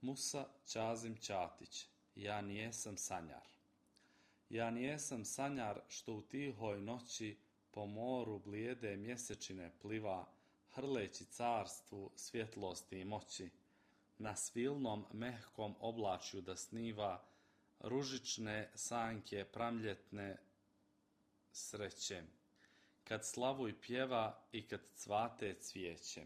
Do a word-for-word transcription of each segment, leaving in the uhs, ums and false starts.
Musa Ćazim Ćatić. Ja nijesam sanjar. Ja nijesam sanjar što u tihoj noći po moru blijede mjesečine pliva, hrleći carstvu svjetlosti i moći, na svilnom mehkom oblačju da sniva ružične sanjke pramljetne sreće, kad slavuj pjeva i kad cvate cvijeće.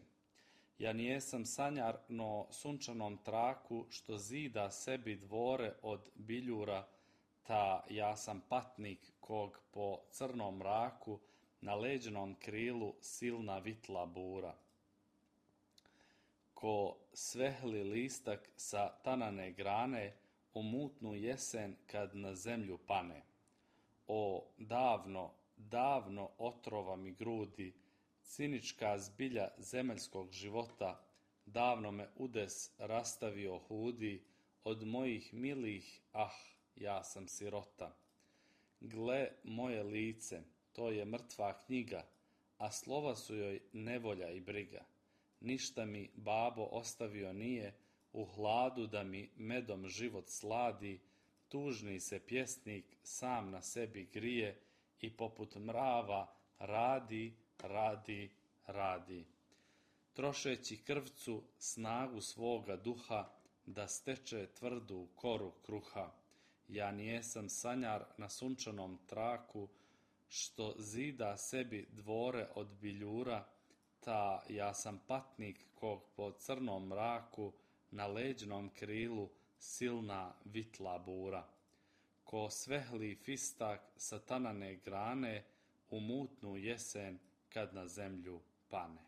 Ja nijesam sanjar no sunčanom traku što zida sebi dvore od biljura, ta ja sam patnik kog po crnom mraku na leđnom krilu silna vitla bura. Ko svehli listak sa tanane grane u mutnu jesen kad na zemlju pane. O, davno, davno otrova mi grudi, cinička zbilja zemaljskog života, davno me udes rastavio hudi, od mojih milih, ah, ja sam sirota. Gle moje lice, to je mrtva knjiga, a slova su joj nevolja i briga. Ništa mi babo ostavio nije, u hladu da mi medom život sladi, tužni se pjesnik sam na sebi grije i poput mrava radi, radi, radi. Trošeći krvcu snagu svoga duha da steče tvrdu koru kruha. Ja nijesam sanjar na sunčanom traku što zida sebi dvore od biljura, ta ja sam patnik kog po crnom mraku na leđnom krilu silna vitla bura. Ko svehli fistak sa tanane grane u mutnu jesen kad na zemlju pane.